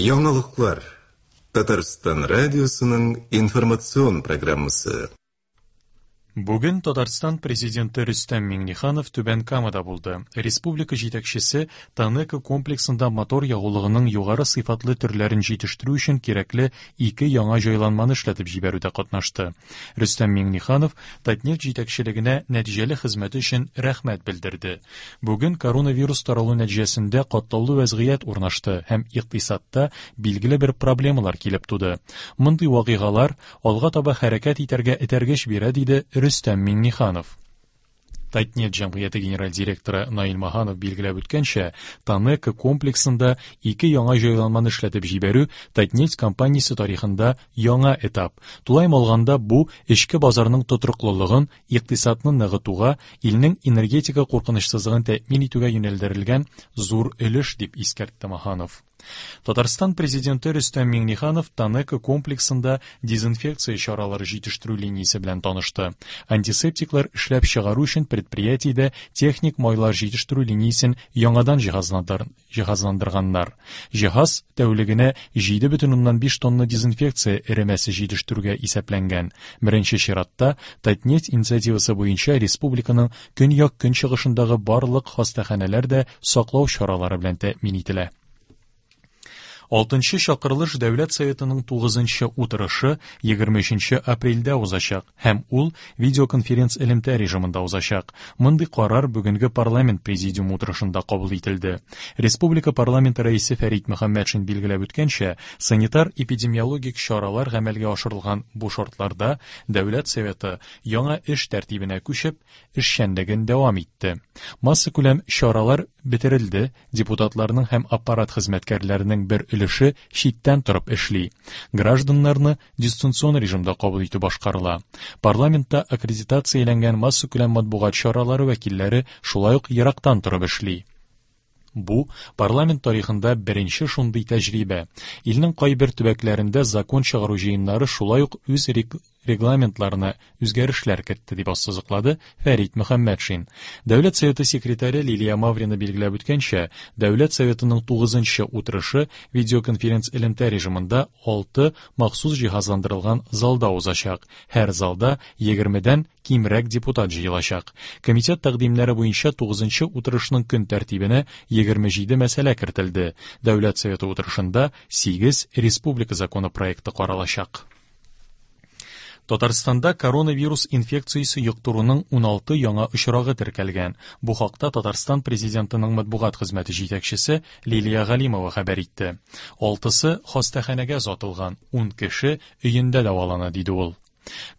Яңалыклар. Татарстан радиосының информацион программасы. Бүген Татарстан Президенты Рөстәм Миңнеханов Түбән Камада булды. Республика җитәкчесе ТАНЕКО комплексында мотор ягулыгының югары сыйфатлы төрләрен җитештерү өчен кирәкле ике яңа җайланманы эшләтеп җибәрүдә катнашты. Рөстәм Миңнеханов Татнефть җитәкчелегенә нәтиҗәле хезмәте өчен рәхмәт белдерде. Бүген коронавирус таралу нәтиҗәсендә катлаулы вәзгыять урнашты һәм икътисадта билгеле бер проблемалар килеп туды. Мондый вакыйгалар алга таба хәрәкәт итәргә этәргеч бирә, диде Рөстәм Миңнеханов. Татнефть җәмгыяте генераль директоры Наил Маһанов билгеләп үткәнчә, ТАНЕКО комплексында ике яңа җайланманы эшләтеп җибәрү Татнефть компаниясе тарихында яңа этап. Тулаем алганда, бу эчке базарның тотрыклылыгын, икътисадны ныгытуга, илнең энергетика куркынычсызлыгын тәэмин итүгә юнәлдерелгән зур өлеш, дип искәртте Маһанов. Татарстан Президенты Рөстәм Миңнеханов ТАНЕКО комплексында дезинфекция чаралары җитештерү линиясе белән танышты. Антисептиклар эшләп чыгару өчен предприятиедә техник майлар җитештерү линиясен яңадан җиһазландырганнар. Җиһаз тәүлегенә 7,5 тонна дезинфекция эремәсе җитештерүгә исәпләнгән. Беренче чиратта Татнефть инициативасы буенча республиканың көньяк-көнчыгышындагы барлык хастаханәләр дә саклау чаралары белән тәэмин ителә. Алтынчы чакырылыш Дәүләт Советының тугызынчы утырышы 23 апрельдә узачак һәм ул видеоконференц-элемтә режимында узачак. Мондый карар бүгенге парламент президиумы утырышында кабул ителде. Республика парламенты рәисе Фәрит Мөхәммәтшин билгеләп үткәнчә, санитар-эпидемиологик чаралар гамәлгә ашырылган бу шартларда Дәүләт Советы яңа эш тәртибенә күчеп, эшчәнлеген дәвам итте. Массакүләм чаралар бетерелде, депутатларның һәм аппарат хезмәткәрләренең бер өлеше читтән торып эшли. Гражданнарны дистанцион режимда кабул итү башкарыла. Парламентта аккредитацияләнгән массакүләм матбугат чаралары вәкилләре шулай ук ерактан торып эшли. Бу, парламент тарихында беренче шундый тәҗрибә. Илнең кайбер төбәкләрендә закон чыгару җыеннары шулай ук үз регламентларына үзгәрешләр кертте, дип ассызыклады Фәрит Мөхәммәтшин. Дәүләт Советы секретаре Лилия Маврина билгеләп үткәнчә, Дәүләт Советының тугызынчы утырышы видеоконференц-элемтә режимында алты махсус җиһазландырылган залда узачак. Һәр залда егермедән кимрәк депутат җыелачак. Комитет тәкъдимнәре буенча тугызынчы утырышның көн тәртибенә 27 мәсьәлә кертелде. Дәүләт Советы утырышында 8 республика законы проекты каралачак. Татарстанда коронавирус инфекциясе йоктыруның 16 яңа очрагы теркәлгән. Бу хакта Татарстан Президентының матбугат хезмәте җитәкчесе Лилия Галимова хәбәр итте. Алтысы хастаханәгә озатылган, ун кеше өендә дәвалана, диде ул.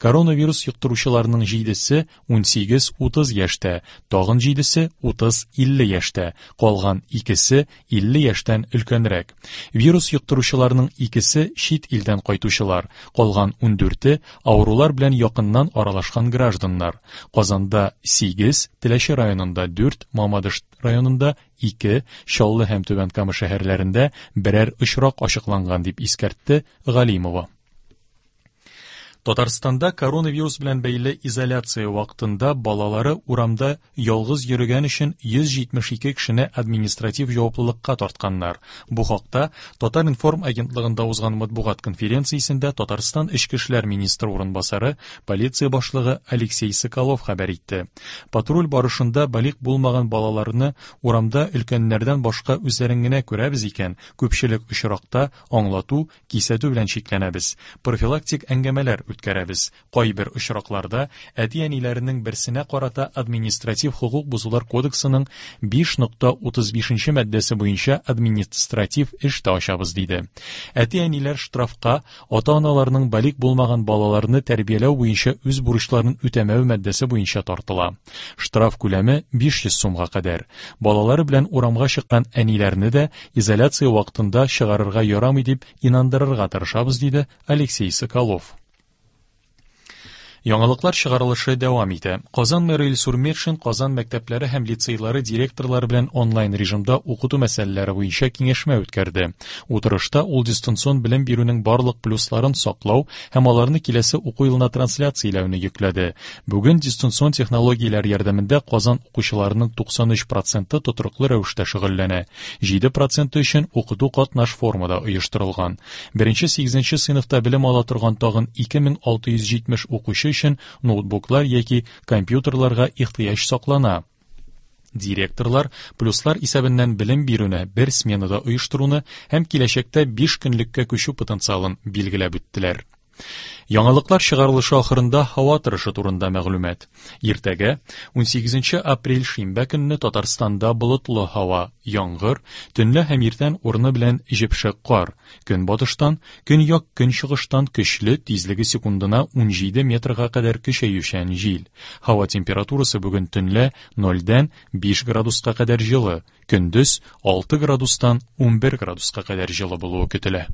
Коронавирус йоктыручыларның җидесе 18-30 яшьтә, тагын җидесе 30-50 яшьтә, калган икесе 50 яшьтән өлкәнрәк. Вирус йоктыручыларның икесе чит илдән кайтучылар, калган ундүрте авырулар белән якыннан аралашкан гражданнар. Казанда сигез, Теләче районында дүрт, Мамадыш районында ике, Чаллы һәм Түбән Кама шәһәрләрендә берәр очрак ачыкланган, дип искәртте Галимова. Татарстанда коронавирус белән бәйле изоляция вакытында балалары урамда ялгыз йөрегән өчен 172 кешене административ җаваплылыкка тартканнар. Бу хакта Татар-информ агентлыгында узган матбугат конференциясендә Татарстан Эчке эшләр министры урынбасары, полиция башлыгы Алексей Соколов хәбәр итте. Патруль барышында балигъ булмаган балаларны урамда өлкәннәрдән башка үзләрен генә күрәбез икән, күпчелек очракта аңлату, Кисәтү белән чикләнәбез, профилактик әңгәмәләр үткәрәбез. Кайбер очракларда әти-әниләренең берсенә карата административ хокук бозулар кодексының 5.35 нче маддәсе буенча административ эш тә ачабыз, диде. Әти-әниләр штрафка ата-аналарның балигъ булмаган балаларны тәрбияләү буенча үз бурычларын үтәмәве маддәсе буенча тартыла. Штраф күләме 500 сумга кадәр. Балалары белән урамга чыккан әниләрне дә изоляция вакытында чыгарырга ярамый дип инандырырга тырышабыз, диде Алексей Соколов. Яңалыклар чыгарылышы дәвам итә. Казан мэры Илсур Метшин Казан мәктәпләре һәм лицейлары директорлары белән онлайн режимда укыту мәсьәләләре буенча киңәшмә үткәрде. Утырышта ул дистанцион белем бирүнең барлык плюсларын саклау һәм аларны киләсе уку елына трансляцияләүне йөкләде. Бүген дистанцион технологияләр ярдәмендә Казан укучыларының 93 проценты тотрыклы рәвештә шөгыльләнә. 7 проценты өчен укыту катнаш формада оештырылган. Беренче сигезенче сыйныфта белем ала торган тагын 2670 укучы өчен ноутбуклар яки компьютерларга ихтыяҗ саклана. Директорлар плюслар исәбеннән белем бирүне бер сменада оештыруны һәм киләчәктә 5 көнлеккә күчү потенциалын билгеләп үттеләр. Яңалыклар чыгарылышы ахырында һава торышы турында мәгълүмат. Иртәгә, 18 апрель шимбә көнне Татарстанда болытлы һава, яңгыр, төнлә һәм иртән урыны белән җепшек кар, көнбатыштан, көньяк-көнчыгыштан көчле, тизлеге секундына 17 метрга кадәр көчәючән җил. Һава температурасы бүген төнлә 0дән 5 градуска кадәр җылы, көндез 6 градустан 11 градуска кадәр җылы булуы көтелә.